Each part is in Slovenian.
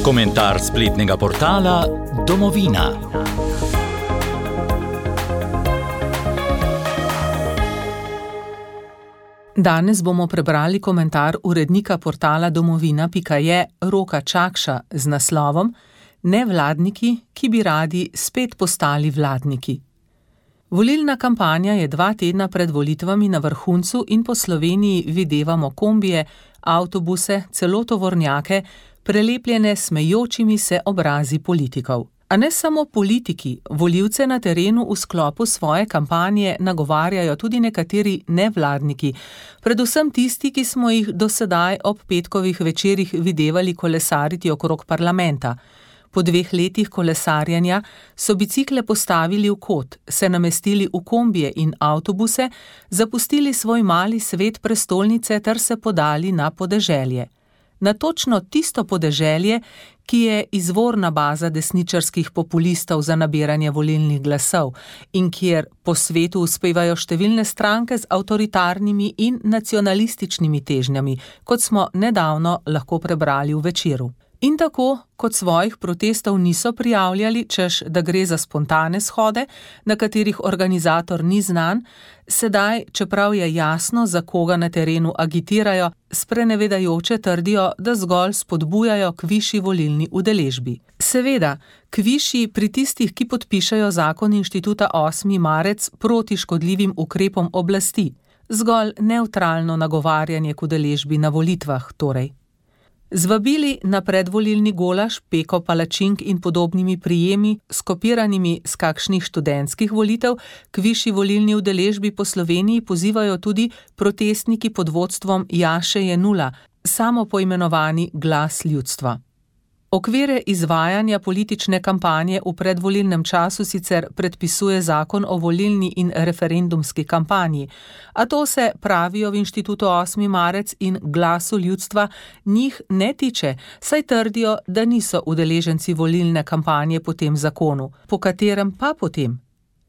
Komentar spletnega portala Domovina. Danes bomo prebrali komentar urednika portala domovina.je Roka Čakša z naslovom Nevladniki, ki bi radi spet postali vladniki. Volilna kampanja je 2 tedna pred volitvami na vrhuncu in po Sloveniji videvamo kombije, avtobuse, celo tovornjake, prelepljene smejočimi se obrazi politikov. A ne samo politiki, volivce na terenu v sklopu svoje kampanje nagovarjajo tudi nekateri nevladniki, predvsem tisti, ki smo jih do sedaj ob petkovih večerih videvali kolesariti okrog parlamenta. Po 2 letih kolesarjenja so bicikle postavili v kot, se namestili v kombije in avtobuse, zapustili svoj mali svet prestolnice ter se podali na podeželje. Na točno tisto podeželje, ki je izvorna baza desničarskih populistov za nabiranje volilnih glasov in kjer po svetu uspevajo številne stranke z avtoritarnimi in nacionalističnimi težnjami, kot smo nedavno lahko prebrali v Večeru. In tako, kot svojih protestov niso prijavljali, češ da gre za spontane shode, na katerih organizator ni znan, sedaj, čeprav je jasno, za koga na terenu agitirajo, sprenevedajoče trdijo, da zgolj spodbujajo k višji volilni udeležbi. Seveda, k višji pri tistih, ki podpišejo zakon Inštituta 8. marec proti škodljivim ukrepom oblasti, zgolj nevtralno nagovarjanje k udeležbi na volitvah torej. Z vabili na predvolilni golaž, peko palačink in podobnimi prijemi, skopiranimi z kakšnih študentskih volitev, k višji volilni udeležbi po Sloveniji pozivajo tudi protestniki pod vodstvom Jaše Jenulla, samopoimenovani Glas ljudstva. Okvire izvajanja politične kampanje v predvolilnem času sicer predpisuje zakon o volilni in referendumski kampanji, a to se, pravijo v Inštitutu 8. marec in Glasu ljudstva, njih ne tiče, saj trdijo, da niso udeleženci volilne kampanje po tem zakonu. Po katerem pa potem?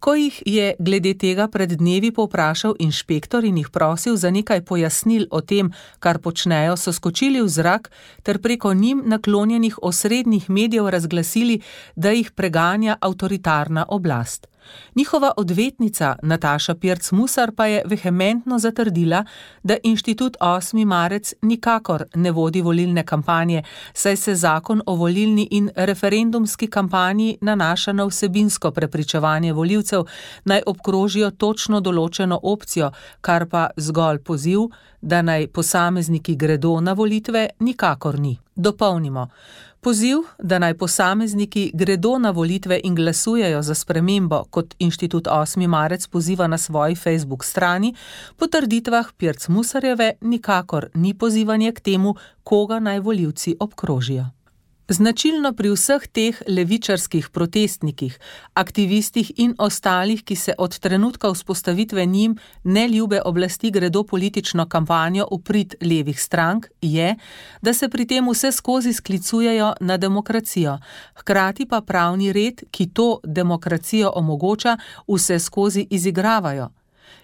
Ko jih je glede tega pred dnevi povprašal inšpektor in jih prosil za nekaj pojasnil o tem, kar počnejo, so skočili v zrak ter preko njim naklonjenih osrednjih medijev razglasili, da jih preganja avtoritarna oblast. Njihova odvetnica Nataša Pirc Musar pa je vehementno zatrdila, da Inštitut 8. marec nikakor ne vodi volilne kampanje, saj se zakon o volilni in referendumski kampanji nanaša na vsebinsko prepričevanje volivcev, naj obkrožijo točno določeno opcijo, kar pa zgolj poziv, da naj posamezniki gredo na volitve, nikakor ni. Dopolnimo. Poziv, da naj posamezniki gredo na volitve in glasujejo za spremembo, kot Inštitut 8. marec poziva na svoji Facebook strani, po trditvah Pirc Musarjeve nikakor ni pozivanje k temu, koga naj volivci obkrožijo. Značilno pri vseh teh levičarskih protestnikih, aktivistih in ostalih, ki se od trenutka vzpostavitve njim neljube oblasti gredo politično kampanjo v prid levih strank, je, da se pri tem vse skozi sklicujejo na demokracijo, hkrati pa pravni red, ki to demokracijo omogoča, vse skozi izigravajo.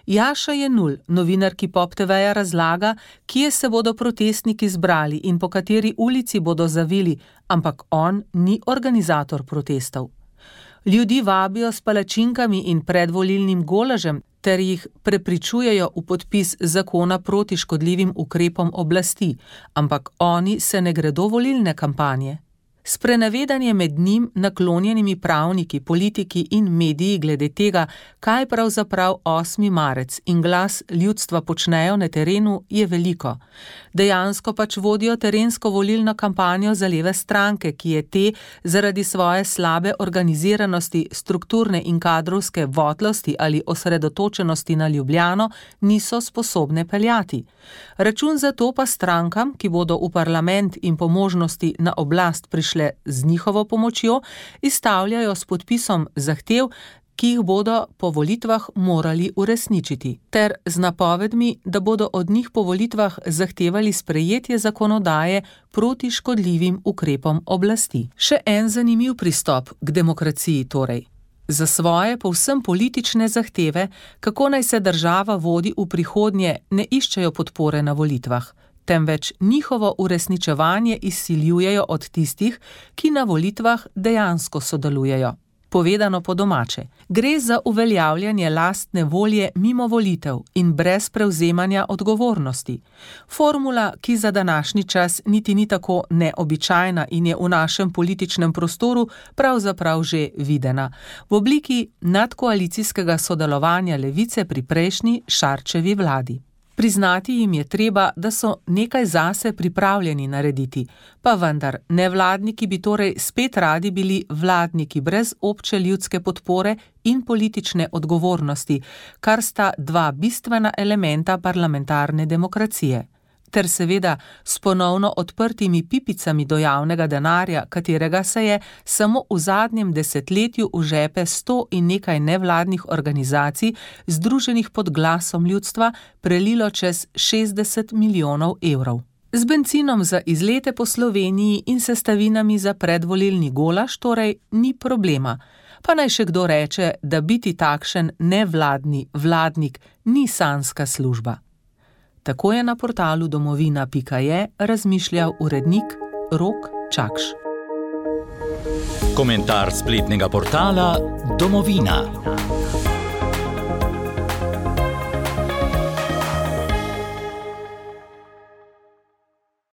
Jaša Jenull, novinarki Pop TV-ja, razlaga, kje se bodo protestniki zbrali in po kateri ulici bodo zavili, ampak on ni organizator protestov. Ljudi vabijo s palačinkami in predvolilnim golažem ter jih prepričujejo v podpis zakona proti škodljivim ukrepom oblasti, ampak oni se ne gredo volilne kampanje. Sprenevedanje med njim naklonjenimi pravniki, politiki in mediji glede tega, kaj pravzaprav 8. marec in Glas ljudstva počnejo na terenu, je veliko. Dejansko pač vodijo terensko volilno kampanjo za leve stranke, ki je te zaradi svoje slabe organiziranosti, strukturne in kadrovske votlosti ali osredotočenosti na Ljubljano niso sposobne peljati. Račun za to pa strankam, ki bodo v parlament in po možnosti na oblast prišle z njihovo pomočjo, izstavljajo s podpisom zahtev, ki jih bodo po volitvah morali uresničiti, ter z napovedmi, da bodo od njih po volitvah zahtevali sprejetje zakonodaje proti škodljivim ukrepom oblasti. Še en zanimiv pristop k demokraciji torej. Za svoje povsem politične zahteve, kako naj se država vodi v prihodnje, ne iščejo podpore na volitvah, temveč njihovo uresničevanje izsiljujejo od tistih, ki na volitvah dejansko sodelujejo. Povedano po domače, gre za uveljavljanje lastne volje mimo volitev in brez prevzemanja odgovornosti. Formula, ki za današnji čas niti ni tako neobičajna in je v našem političnem prostoru pravzaprav že videna, v obliki nadkoalicijskega sodelovanja levice pri prejšnji Šarčevi vladi. Priznati jim je treba, da so nekaj zase pripravljeni narediti, pa vendar nevladniki bi torej spet radi bili vladniki brez obče ljudske podpore in politične odgovornosti, kar sta dva bistvena elementa parlamentarne demokracije. Ter seveda s ponovno odprtimi pipicami do javnega denarja, katerega se je samo v zadnjem desetletju v žepe 100 in nekaj nevladnih organizacij, združenih pod glasom ljudstva, prelilo čez 60 milijonov evrov. Z bencinom za izlete po Sloveniji in sestavinami za predvolilni golaž torej ni problema. Pa naj še kdo reče, da biti takšen nevladni vladnik ni sanjska služba. Tako je na portalu domovina.je razmišljal urednik Rok Čakš. Komentar spletnega portala Domovina.